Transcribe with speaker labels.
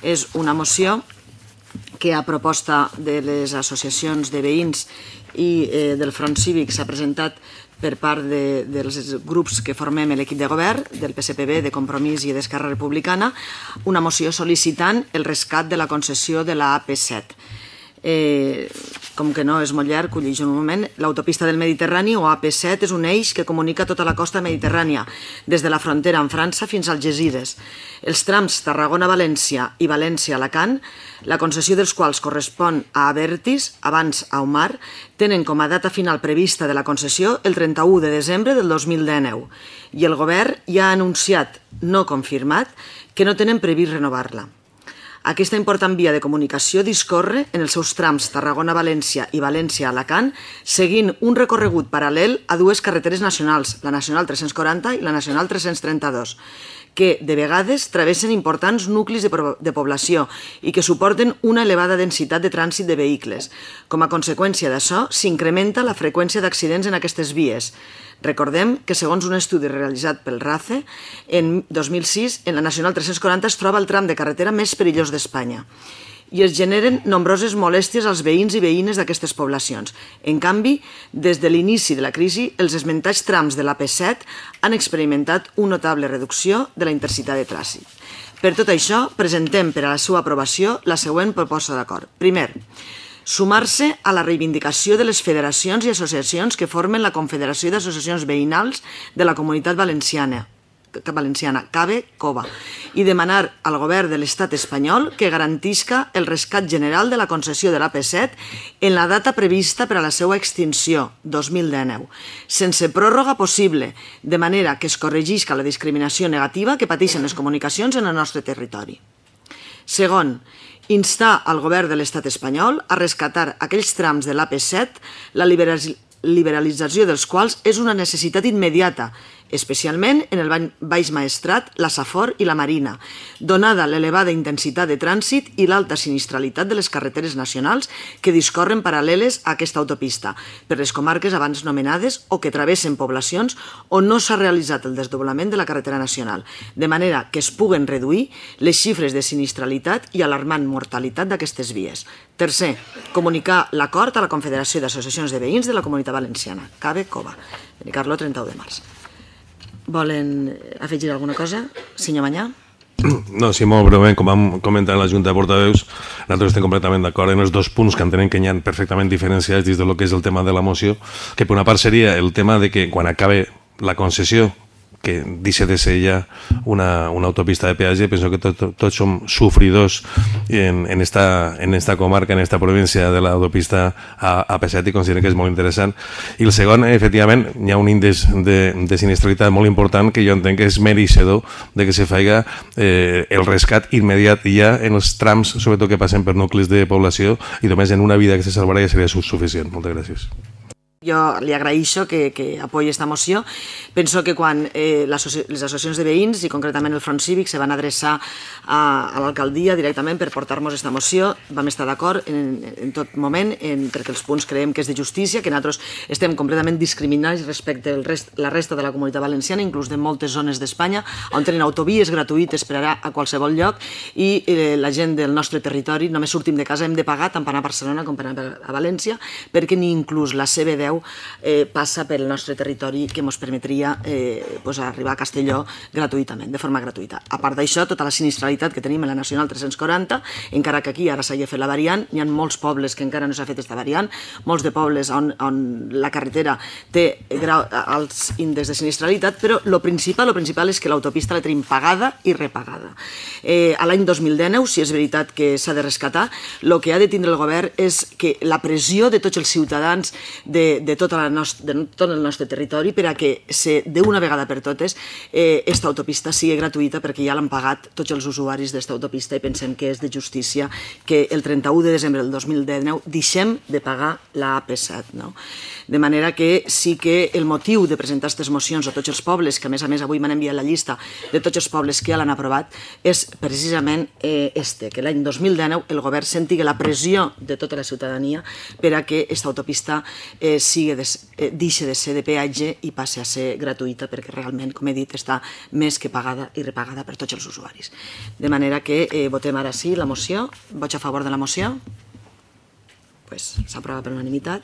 Speaker 1: És una moció que a proposta de les associacions de veïns i del Front Cívic s'ha presentat per part dels grups que formem l'equip de govern, del PSPB, de Compromís i d'Esquerra Republicana, una moció sol·licitant el rescat de la concessió de la AP7. Com que no és molt llarg, ho llegeixo un moment. L'autopista del Mediterrani, o AP7, és un eix que comunica tota la costa mediterrània, des de la frontera amb França fins als Algesires. Els trams Tarragona-València i València-Alacant, la concessió dels quals correspon a Abertis, abans a Umar, tenen com a data final prevista de la concessió el 31 de desembre del 2019 i el govern ja ha anunciat, no confirmat, que no tenen previst renovar-la. Aquesta important via de comunicació discorre en els seus trams Tarragona-València i València-Alacant, seguint un recorregut paral·lel a dues carreteres nacionals, la Nacional 340 i la Nacional 332, que de vegades travessen importants nuclis de població i que suporten una elevada densitat de trànsit de vehicles. Com a conseqüència d'això, s'incrementa la freqüència d'accidents en aquestes vies. Recordem que, segons un estudi realitzat pel RACE, en 2006, en la Nacional 340 es troba el tram de carretera més perillós d'Espanya i es generen nombroses molèsties als veïns i veïnes d'aquestes poblacions. En canvi, des de l'inici de la crisi, els esmentats trams de l'AP7 han experimentat una notable reducció de la intensitat de trànsit. Per tot això, presentem per a la seva aprovació la següent proposta d'acord. Primer, sumar-se a la reivindicació de les federacions i associacions que formen la Confederació d'Associacions Veïnals de la Comunitat Valenciana, CABE-COVA, i demanar al govern de l'estat espanyol que garantisca el rescat general de la concessió de l'AP7 en la data prevista per a la seva extinció, 2019, sense pròrroga possible, de manera que es corregisca la discriminació negativa que pateixen les comunicacions en el nostre territori. Segon, instar al govern de l'estat espanyol a rescatar aquells trams de l'AP7, la liberalització dels quals és una necessitat immediata, especialment en el Baix Maestrat, la Safor i la Marina, donada l'elevada intensitat de trànsit i l'alta sinistralitat de les carreteres nacionals que discorren paral·leles a aquesta autopista, per les comarques abans nomenades o que travessen poblacions on no s'ha realitzat el desdoblament de la carretera nacional, de manera que es puguen reduir les xifres de sinistralitat i alarmant mortalitat d'aquestes vies. Tercer, comunicar l'acord a la Confederació d'Associacions de Veïns de la Comunitat Valenciana, CABE-COVA, Benicarló, 31 de març. Volen afegir alguna cosa? Senyor Manyà?
Speaker 2: No, sí, molt breument, com vam comentar en la Junta de Portaveus, nosaltres estem completament d'acord en els dos punts que entenem que hi ha perfectament diferenciats dins del que és el tema de la moció, que per una part seria el tema de que quan acabe la concessió, que deixa de ser ja una autopista de peatge, penso que tots som sofridors en esta comarca, en esta província de l'autopista AP7 i considerem que és molt interessant. I el segon, efectivament, hi ha un índex de sinistralitat molt important que jo entenc que és mereixedor de que se faci el rescat immediat ja en els trams, sobretot que passen per nuclis de població, i només en una vida que se salvarà ja seria suficient. Moltes gràcies.
Speaker 1: Jo li agraeixo que apoyi aquesta moció. Penso que quan les associacions de veïns i concretament el Front Cívic se van adreçar a l'alcaldia directament per portar-nos aquesta moció, vam estar d'acord en tot moment perquè els punts creiem que és de justícia, que nosaltres estem completament discriminats respecte a la resta de la comunitat valenciana, inclús de moltes zones d'Espanya, on tenen autovies gratuïtes per anar a qualsevol lloc i la gent del nostre territori només sortim de casa, hem de pagar tant per anar a Barcelona com per anar a València, perquè ni inclús la CB10 passa pel nostre territori que ens permetria arribar a Castelló gratuïtament, de forma gratuïta. A part d'això, tota la sinistralitat que tenim en la Nacional 340, encara que aquí ara s'hagi fet la variant, hi ha molts pobles que encara no s'ha fet aquesta variant, molts de pobles on la carretera té alts índexs de sinistralitat, però el principal és que l'autopista la tenim pagada i repagada. A l'any 2019, si és veritat que s'ha de rescatar, el que ha de tindre el govern és que la pressió de tots els ciutadans de tot el nostre territori per a que d'una vegada per totes aquesta autopista sigui gratuïta, perquè ja l'han pagat tots els usuaris d'esta autopista i pensem que és de justícia que el 31 de desembre del 2019 deixem de pagar la AP7. De manera que sí que el motiu de presentar aquestes mocions a tots els pobles, que a més avui m'han enviat la llista de tots els pobles que ja l'han aprovat, és precisament que l'any 2019 el govern senti la pressió de tota la ciutadania per a que aquesta autopista deixi de ser de peatge i passi a ser gratuïta, perquè realment, com he dit, està més que pagada i repagada per tots els usuaris. De manera que votem ara sí la moció. Vots a favor de la moció? S'aprova per unanimitat.